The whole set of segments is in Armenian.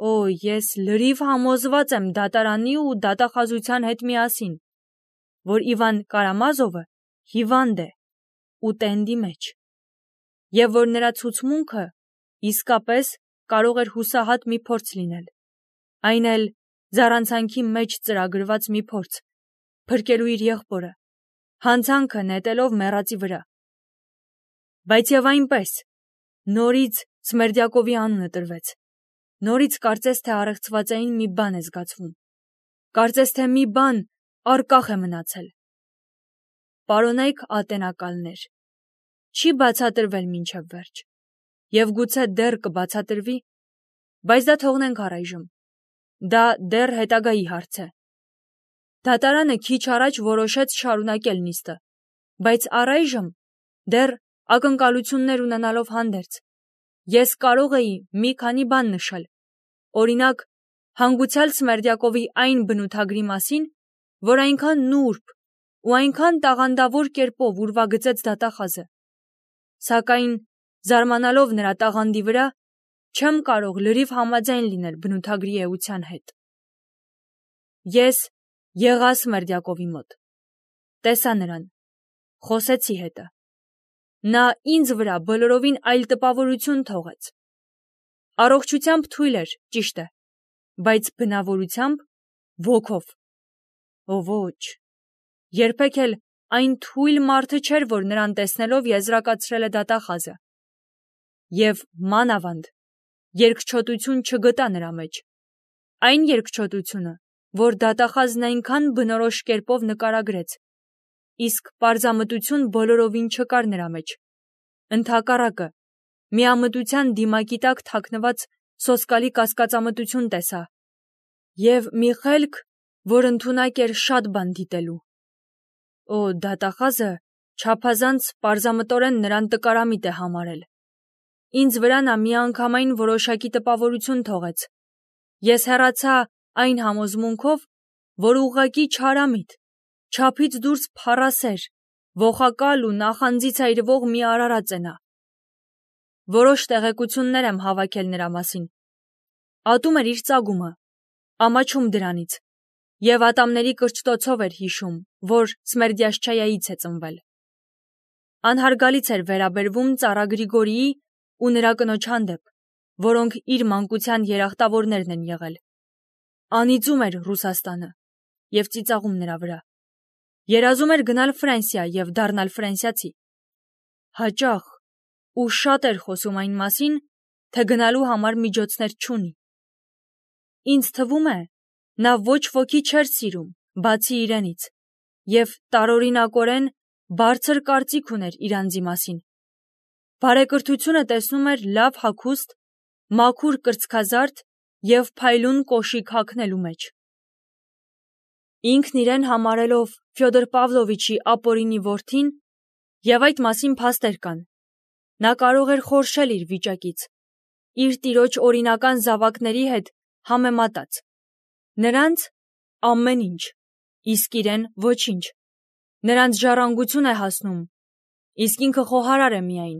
Ես լրիվ համոզված եմ դատարանի ու դատախազության հետ միասին, որ Իվան Կարամազովը հիվանդ է ու տենդի մեջ, և որ նրա ցուցմունքը իսկապես կարող էր հուսահատ մի փորձ լինել, այն էլ զառանցանքի մեջ ծրագրված մի փորձ, փրկելու իր եղբորը, հանցանքը նետելով մեռածի վրա։ Բայց և այնպես, նորից Սմերդյակովի անունը տրվեց, նորից կարծես թե առեղծվածային մի բան է զգացվում, կարծես թե մի բան առկախ է մնացել։ Պարոնայք ատենակալներ, չի բացատրվել մինչև վերջ, և գուցե դեռ կբացատրվի, բայց դա թողնենք առայժմ, դա դեռ հետագայի հարց է։ Դատարանը քիչ առաջ որոշեց շարունակել նիստը, բայց առայժմ դեռ ակնկալություններ ունենալով հանդերձ, ես կարող էի մի քանի բան նշել, օրինակ, հանգուցյալ Սմերդյակովի այն բնութագրի մասին, որ այնքան նուրբ ու այնքան տաղանդավոր կերպով ուրվագծեց դատախազը, սակայն, զարմանալով նրա տաղանդի վրա, չեմ կարող լրիվ համաձայն լինել բնութագրի էության հետ։ Ես եղա Սմերդյակովի մոտ, տեսա նրան, խոսեցի հետը, նա ինձ վրա բոլորովին այլ տպավորություն թողեց, առողջությամբ թույլ էր, ճիշտ է, բայց բնավորությամբ ոգով, ոչ, երբեք էլ այն թույլ մարդը չէր, որ նրան տեսնելով եզրակացրել է դատախազը, և մանավանդ երկչոտություն չգտա նրա մեջ, այն երկչոտությունը, որ դատախազն այնքան բնորոշ կերպով նկարագրեց, իսկ պարզամտություն բոլորովին չկար նրա մեջ, ընդհակառակը, միամտության դիմակի տակ թաքնված սոսկալի կասկածամտություն տեսա, և մի խելք, որ ընդունակ էր շատ բան դիտելու։ Դատախազը չափազանց պարզամտորեն նրան տկարամիտ է համարել։ Ինձ վրա նա միանգամայն որոշակի տպավորություն թողեց։ Ես հեռացա այն համոզմունքով, որ ուղղակի չարամիտ, չափից դուրս փառասեր, ոխակալ ու նախանձից այրվող մի արարած է նա։ Որոշ տեղեկություններ եմ հավաքել նրա մասին։ Ատում էր իր ծագումը, ամաչում դրանից, և ատամների կրճտոցով էր հիշում, որ Սմերդյաշչայայից է ծնվել։ Անհարգալից էր վերաբերվում ծառա Գրիգորիի ու նրա կնոջ հանդեպ, որոնք իր մանկության երախտավորներն են եղել։ Անիծում էր Ռուսաստանը և ծիծաղում նրա վրա։ Երազում էր գնալ Ֆրանսիա և դառնալ ֆրանսիացի։ Հաճախ ու շատ էր խոսում այն մասին, թե գնալու համար միջոցներ չունի։ Ինձ թվում է, նա ոչ ոքի չէր սիրում, բացի իրենից, և տարօրինակորեն բարձր կարծիք ուներ իր անձի մասին։ Բարեկրթությունը տեսնում էր լավ հագուստ, մաքուր կրծքազարդ և փայլուն կոշիկ հագնելու մեջ։ Ինքն իրեն համարելով Ֆյոդոր Պավլովիչի ապօրինի որդին, և այդ մասին փաստեր կան, նա կարող էր խորշել իր վիճակից, իր տիրոջ օրինական զավակների հետ համեմատած։ Նրանց ամեն ինչ, իսկ իրեն ոչինչ։ Նրանց ժառանգություն է հասնում, իսկ ինքը խոհարար է միայն։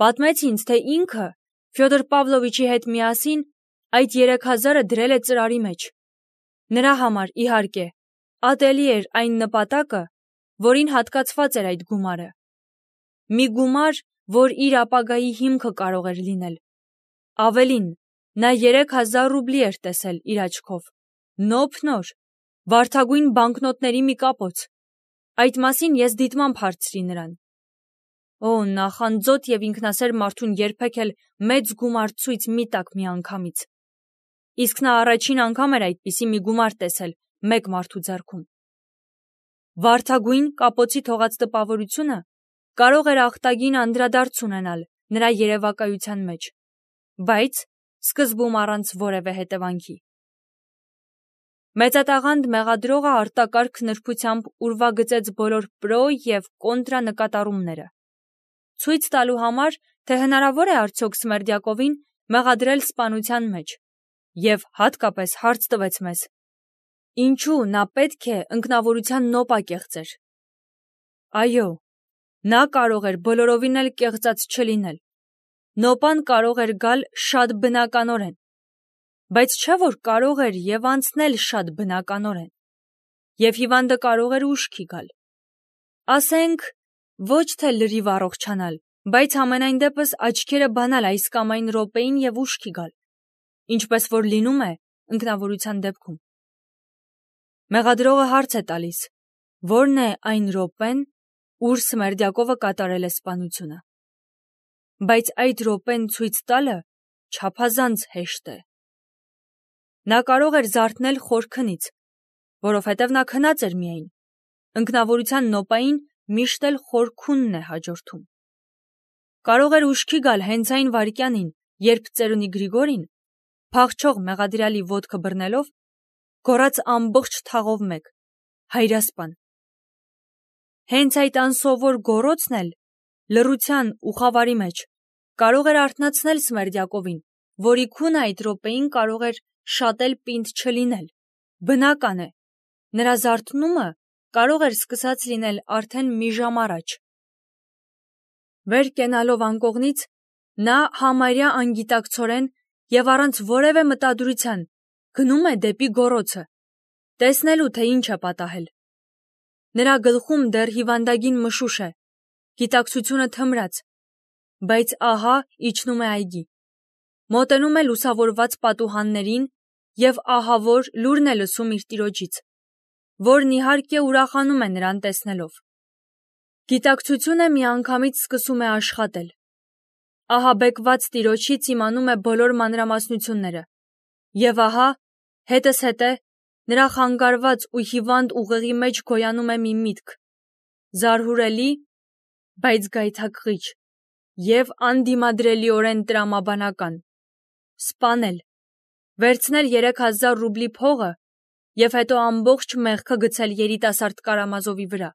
Պատմեց ինձ, թե ինքը Ֆյոդոր Պավլովիչի հետ միասին այդ 3000-ը դրել է ծրարի մեջ։ Նրա համար, իհարկե, ատելի էր այն նպատակը, որին հատկացված էր այդ գումարը։ Մի գումար, որ իր ապագայի հիմքը կարող էր լինել։ Ավելին, նա 3000 ռուբլի էր տեսել իր աչքով, նոփ-նոր, վարդագույն բանկնոտների մի կապոց։ Այդ մասին ես դիտմամբ հարցրի նրան։ Նախանձոտ և ինքնասեր մարդուն երբեք էլ մեծ գումար ցույց մի տաք միանգամից։ Իսկ նա առաջին անգամ էր այդպիսի մի գումար տեսել մեկ մարդու ձեռքում։ Վարդագույն կապոցի թողած տպավորությունը կարող էր ախտագին անդրադարձ ունենալ նրա երևակայության մեջ, բայց սկզբում առանց որևէ հետևանքի։ Մեծատաղանդ մեղադրողը արտակարգ նրբությամբ ուրվագծեց բոլոր պրո և կոնտրա նկատառումները, ցույց տալու համար, թե հնարավոր է արդյոք Սմերդյակովին մեղադրել սպանության մեջ, և հատկապես հարց տվեց մեզ. ինչու նա պետք է ինքնավորության նոպա կեղծեր։ Այո, նա կարող էր բոլորովին էլ կեղծած չլինել։ Նոպան կարող էր գալ շատ բնականորեն։ Բայց չէ որ կարող էր եւ անցնել շատ բնականորեն, եւ հիվանդը կարող էր ուշքի գալ։ Ասենք, ոչ թե լրիվ առողջանալ, բայց համենայն դեպս աչքերը բանալ այս կամ այն րոպեին եւ ուշքի գալ, ինչպես որ լինում է ինքնավորության դեպքում։ Մեղադրողը հարց է տալիս, որն է այն րոպեն, ուր Սմերդյակովը կատարել է սպանությունը։ Բայց այդ րոպեն ցույց տալը չափազանց հեշտ է։ Նա կարող էր զարթնել խորքնից, որովհետև նա քնած էր միայն։ Ինքնավորության նոպային միշտ էլ խորքունն է հաջորդում։ Կարող էր ուշքի գալ հենց այն վայրկյանին, երբ ծերունի Գրիգորին, փախչող մեղադրյալի ոտքը բռնելով, գոռաց ամբողջ թաղով մեկ. «Հայրասպան»։ Հենց այդ անսովոր գոռոցն էլ լռության ու խավարի մեջ կարող էր արթնացնել Սմերդյակովին, որի քունը այդ րոպեին կարող էր շատ էլ պինդ չլինել։ Բնական է, նրա զարթնումը կարող էր սկսած լինել արդեն մի ժամ առաջ։ Վեր կենալով անկողնից, նա համարյա անգիտակցորեն եւ առանց որևէ մտադրության գնում է դեպի գոռոցը, տեսնելու թե ինչ է պատահել։ Նրա գլխում դեռ հիվանդագին մշուշ է, գիտակցությունը թմրած, բայց ահա իջնում է այգի, մոտենում է լուսավորված պատուհաններին եւ ահավոր լուրն է լսում իր տիրոջից, որն իհարկե ուրախանում է նրան տեսնելով։ Գիտակցությունը միանգամից սկսում է աշխատել։ Ահաբեկված տիրոջից իմանում է բոլոր մանրամասնությունները, եւ ահա, հետզհետե, նրա խանգարված ու հիվանդ ուղեղի մեջ գոյանում է մի միտք, զարհուրելի, բայց գայթակղիչ եւ անդիմադրելիորեն տրամաբանական. սպանել, վերցնել 3000 ռուբլի փողը եւ հետո ամբողջ մեղքը գցել երիտասարդ Կարամազովի վրա,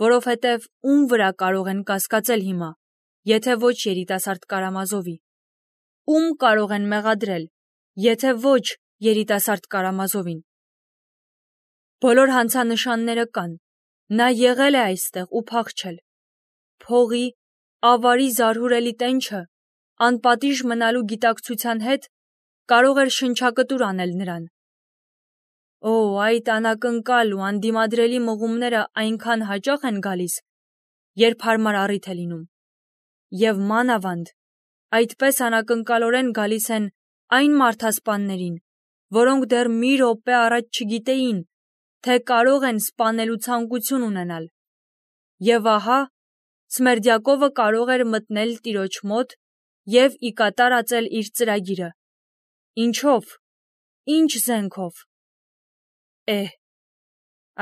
որովհետեւ ում վրա կարող են կասկածել հիմա, եթե ոչ երիտասարդ Կարամազովի, ում կարող են մեղադրել, եթե ոչ երիտասարդ Կարամազովին։ Բոլոր հանցանշանները կան, նա եղել է այստեղ ու փախչել։ Փողի, ավարի զարհուրելի տենչը, անպատիժ մնալու գիտակցության հետ կարող էր շնչակտուր անել նրան։ Օ, այդ անակնկալ ու անդիմադրելի մղումները այնքան հաճախ են գալիս, երբ հարմար առիթ է լինում, եւ մանավանդ այդպես անակնկալորեն գալիս են այն մարդասպաններին, որոնք դեռ մի րոպե առաջ չգիտեին, թե կարող են սպանելու ցանկություն ունենալ։ Եվ ահա, Սմերդյակովը կարող էր մտնել տիրոջ մոտ եւ ի կատար ածել իր ծրագիրը։ Ինչով, ինչ զենքով։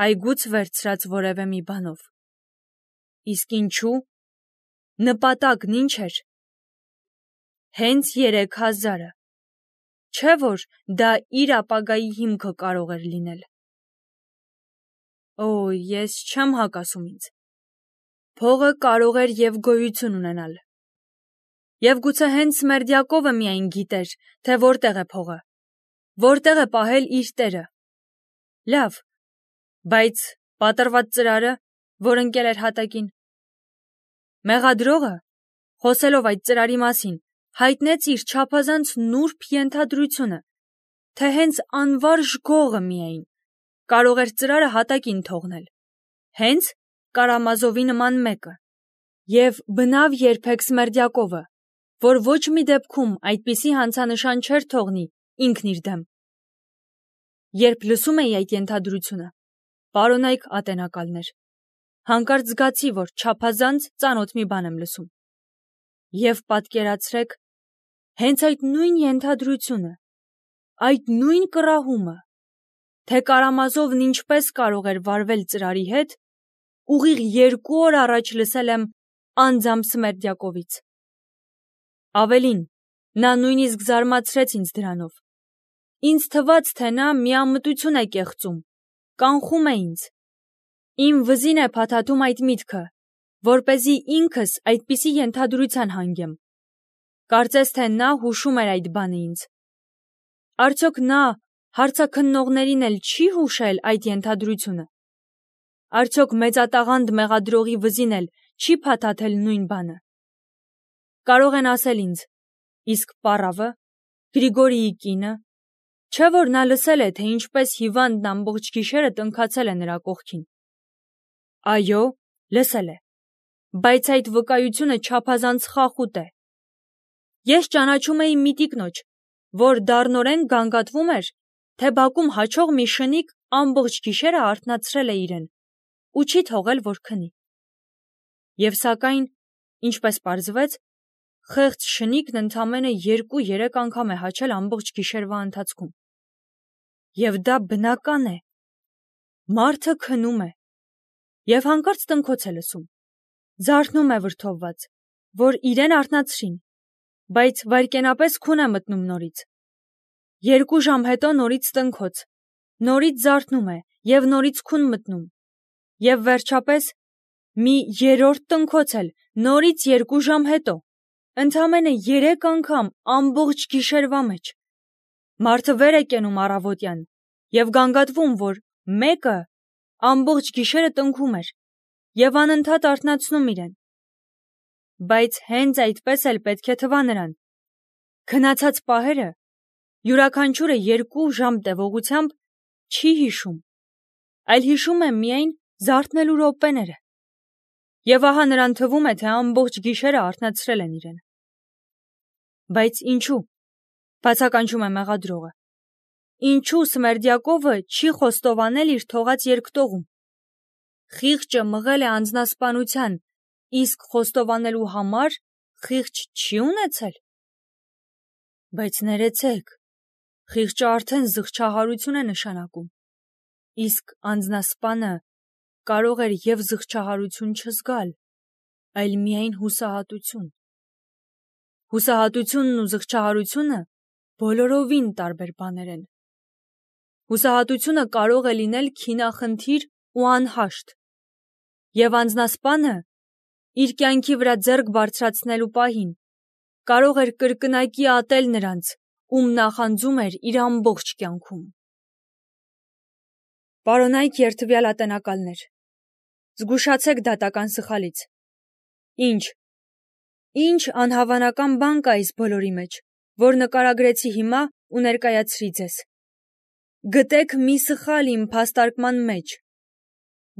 Այգուց վերցրած որևէ մի բանով։ Իսկ ինչու։ Նպատակն ինչ էր։ Հենց 3000-ը։ Չէ՞ որ դա իր ապագայի հիմքը կարող էր լինել։ Ես չեմ հակասում ինձ։ Փողը կարող էր եւ գոյություն ունենալ։ Եվ գուցե հենց Սմերդյակովը միայն գիտեր, թե որտեղ է փողը, որտեղ է պահել իր տերը։ Լավ, բայց պատռված ծրարը, որ ընկել էր հատակին։ Մեղադրողը, խոսելով այդ ծրարի մասին, հայտնեց իր չափազանց նուրբ ենթադրությունը, թե հենց անվարժ գողը միայն կարող էր ծրարը հատակին թողնել, հենց Կարամազովի նման մեկը, եւ բնավ երբեք Սմերդյակովը, որ ոչ մի դեպքում այդպիսի հանցանշան չէր թողնի ինքն իր դեմ։ Երբ լսում էի այդ ենթադրությունը, պարոնայք ատենակալներ, հանկարծ զգացի, որ չափազանց ծանոթ մի բան եմ լսում։ Եվ պատկերացրեք, հենց այդ նույն ենթադրությունը, այդ նույն կռահումը, թե Կարամազովն ինչպես կարող էր վարվել ծրարի հետ, ուղիղ 2 օր առաջ լսել եմ անձամբ Սմերդյակովից։ Ավելին, նա նույնիսկ զարմացրեց ինձ դրանով։ Ինձ թվաց, թե նա միամտություն է կեղծում, կանխում է ինձ։ Իմ վզին է փաթաթում այդ միտքը, որպեսզի ինքս այդպիսի ենթադրության հանգեմ։ Կարծես թե նա հուշում էր այդ բանը ինձ։ Արդյոք նա հարցաքննողներին էլ չի հուշել այդ ենթադրությունը։ Արդյոք մեծատաղանդ մեղադրողի վզին էլ չի փաթաթել նույն բանը։ Կարող են ասել ինձ, իսկ պառավը, Գրիգորիի կինը, Չէ՞ որ նա լսել է, թե ինչպես հիվանդն ամբողջ գիշերը տնքացել է նրա կողքին։ Այո, լսել է, բայց այդ վկայությունը չափազանց խախուտ է։ Ես ճանաչում էի մի տիկնոջ, որ դառնորեն գանգատվում էր, թե բակում հաչող մի շնիկ ամբողջ գիշերը արթնացրել է իրեն ու չի թողել, որ քնի։ Եվ սակայն, ինչպես պարզվեց, խեղճ շնիկն ընդամենը 2-3 անգամ է հաչել ամբողջ գիշերվա ընթացքում։ Եվ դա բնական է։ Մարդը քնում է և հանկարծ տնքոց է լսում, զարթնում է վրդովված, որ իրեն արթնացրին, բայց վայրկենապես քուն է մտնում նորից։ 2 ժամ հետո նորից տնքոց, նորից զարթնում է և նորից քուն մտնում, և վերջապես մի 3-րդ տնքոց էլ նորից 2 ժամ հետո, ընդամենը 3 անգամ ամբողջ գիշերվա մեջ։ Մարդը վեր է կենում առավոտյան և գանգատվում, որ մեկը ամբողջ գիշերը տնքում էր և անընդհատ արթնացնում իրեն։ Բայց հենց այդպես էլ պետք է թվա նրան։ Քնացած պահերը յուրաքանչյուրը 2 ժամ տևողությամբ չի հիշում, այլ հիշում է միայն զարթնելու րոպեները։ Եվ ահա նրան թվում է, թե ամբողջ գիշերը արթնացրել են իրեն։ Բայց ինչու, բացականչում է մեղադրողը, ինչու Սմերդյակովը չի խոստովանել իր թողած երկտողում։ Խիղճը մղել է անձնասպանության, իսկ խոստովանելու համար խիղճ չի ունեցել։ Բայց ներեցեք, խիղճը արդեն զղջահարություն է նշանակում, իսկ անձնասպանը կարող էր և զղջահարություն չզգալ, այլ միայն հուսահատություն։ Հուսահատությունն ու զղջահարությունը բոլորովին տարբեր բաներ են։ Հուսահատությունը կարող է լինել քինախնդիր ու անհաշտ, և անձնասպանը իր կյանքի վրա ձեռք բարձրացնելու պահին կարող էր կրկնակի ատել նրանց, ում նախանձում էր իր ամբողջ կյանքում։ Պարոնայք երդվյալ ատենակալներ, զգուշացեք դատական սխալից։ Ինչ անհավանական բան կա այս բոլորի մեջ, որ նկարագրեցի հիմա ու ներկայացրի ձեզ։ Գտեք մի սխալ իմ փաստարկման մեջ։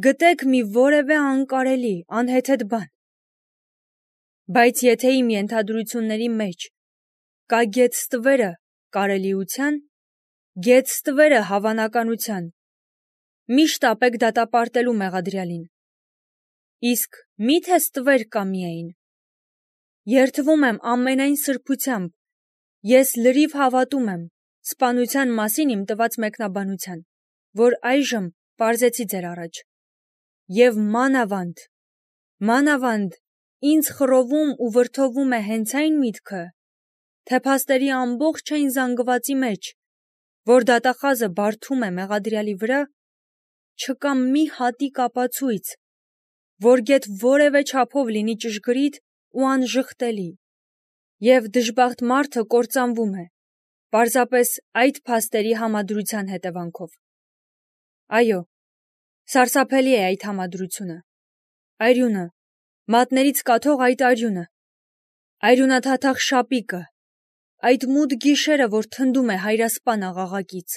Գտեք մի որևէ անկարելի, անհեթեթ բան։ Բայց եթե իմ ենթադրությունների մեջ կա գետ ստվերը կարելիության, գետ ստվերը հավանականության, միշտ ապեք դատապարտելու մեղադրյալին։ Իսկ մի՞թե ստվեր կա միայն։ Երդվում եմ ամենայն սրբությամբ, ես լրիվ հավատում եմ սպանության մասին իմ տված մեկնաբանության, որ այժմ պարզեցի ձեր առաջ։ Եվ մանավանդ ինձ խռովում ու վրդովում է հենց այն միտքը, թե փաստերի ամբողջային զանգվածի մեջ, որ դատախազը բարդում է մեղադրյալի վրա, չկա մի հատիկ ապացույց, որ գեթ որևէ չափով լինի ճշգրիտ ու անժխտելի, և դժբախտ մարդը կործանվում է, պարզապես այդ փաստերի համադրության հետևանքով։ Այո, սարսափելի է այդ համադրությունը։ Արյունը, մատներից կաթող այդ արյունը, արյունաթաթախ շապիկը, այդ մութ գիշերը, որ թնդում է հայրասպան աղաղակից,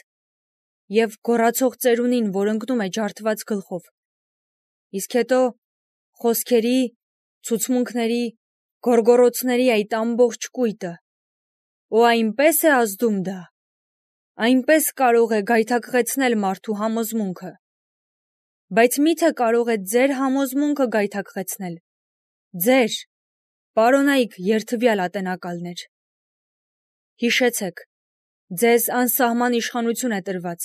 և գոռացող ծերունին, որ ընկնում է ջարդված գլխով։ Իսկ հետո խոսքերի, ցուցմունքների, գոռգոռոցների այդ ամբողջ կույտը։ Ու այնպես է ազդում դա, այնպես կարող է գայթակղեցնել մարդու համոզմունքը։ Բայց մի՞թե կարող է ձեր համոզմունքը գայթակղեցնել։ Ձեր, պարոնայք երդվյալ ատենակալներ։ Հիշեցեք, ձեզ անսահման իշխանություն է տրված,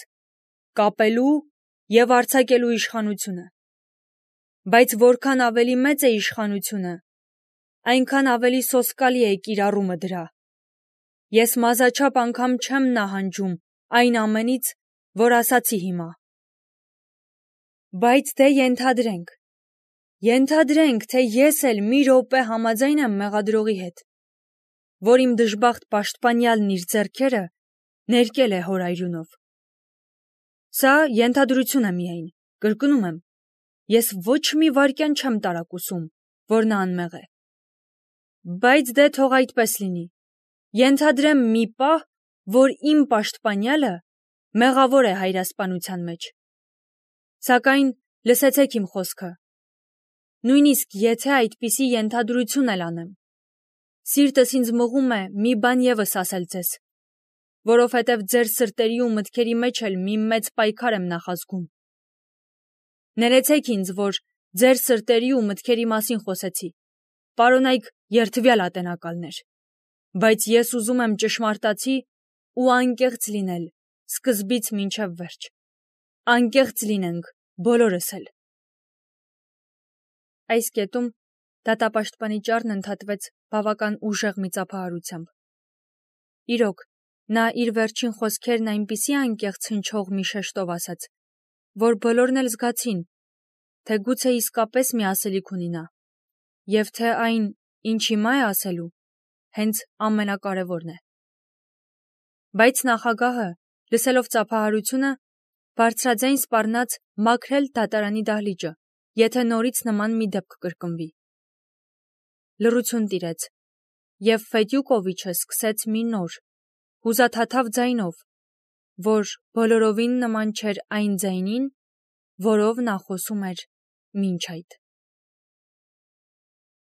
կապելու և արձակելու իշխանությունը։ Բայց որքան ավելի մեծ է իշխանությունը, այնքան ավելի սոսկալի է կիրառումը դրա։ Ես մազաչափ անգամ չեմ նահանջում այն ամենից, որ ասացի հիմա։ Բայց դե ենթադրենք, թե ես էլ մի րոպե համաձայն եմ մեղադրողի հետ, որ իմ դժբախտ պաշտպանյալն իր ձեռքերը ներկել է հոր արյունով։ Սա ենթադրություն է միայն, կրկնում եմ, ես ոչ մի վայրկյան չեմ տարակուսում, որ նա անմեղ է։ Բայց դե թող այդպես լինի։ Ենթադրեմ մի պահ, որ իմ պաշտպանյալը մեղավոր է հայրասպանության մեջ։ Սակայն լսեցեք իմ խոսքը։ Նույնիսկ եթե այդպիսի ենթադրություն էլ անեմ, սիրտս ինձ մղում է մի բան ևս ասել ձեզ, որովհետև ձեր սրտերի ու մտքերի մեջ էլ մի մեծ պայքար եմ նախազգում։ Ներեցեք ինձ, որ ձեր սրտերի ու մտքերի մասին խոսեցի, պարոնայք երդվյալ ատենակալներ, բայց ես ուզում եմ ճշմարտացի ու անկեղծ լինել սկզբից մինչև վերջ։ Անկեղծ լինենք բոլորս էլ։ Այս կետում դատապաշտպանի ճառն ընդհատվեց բավական ուժեղ մի ծափահարությամբ։ Իրոք, նա իր վերջին խոսքերն այնպիսի անկեղծ հնչող մի շեշտով ասաց, որ բոլորն էլ զգացին, թե գուցե իսկապես մի ասելիք ունի նա, և թե այն, ինչ հիմա է ասելու, հենց ամենակարևորն է։ Բայց նախագահը, լսելով ծափահարությունը, բարձրաձայն սպառնաց մաքրել դատարանի դահլիճը, եթե նորից նման մի դեպք կրկնվի։ Լռություն տիրեց, և Ֆեդյուկովիչը սկսեց մի նոր, հուզաթաթավ ձայնով, որ բոլորովին նման չէր այն ձայնին, որով նա խոսում էր մինչ այդ։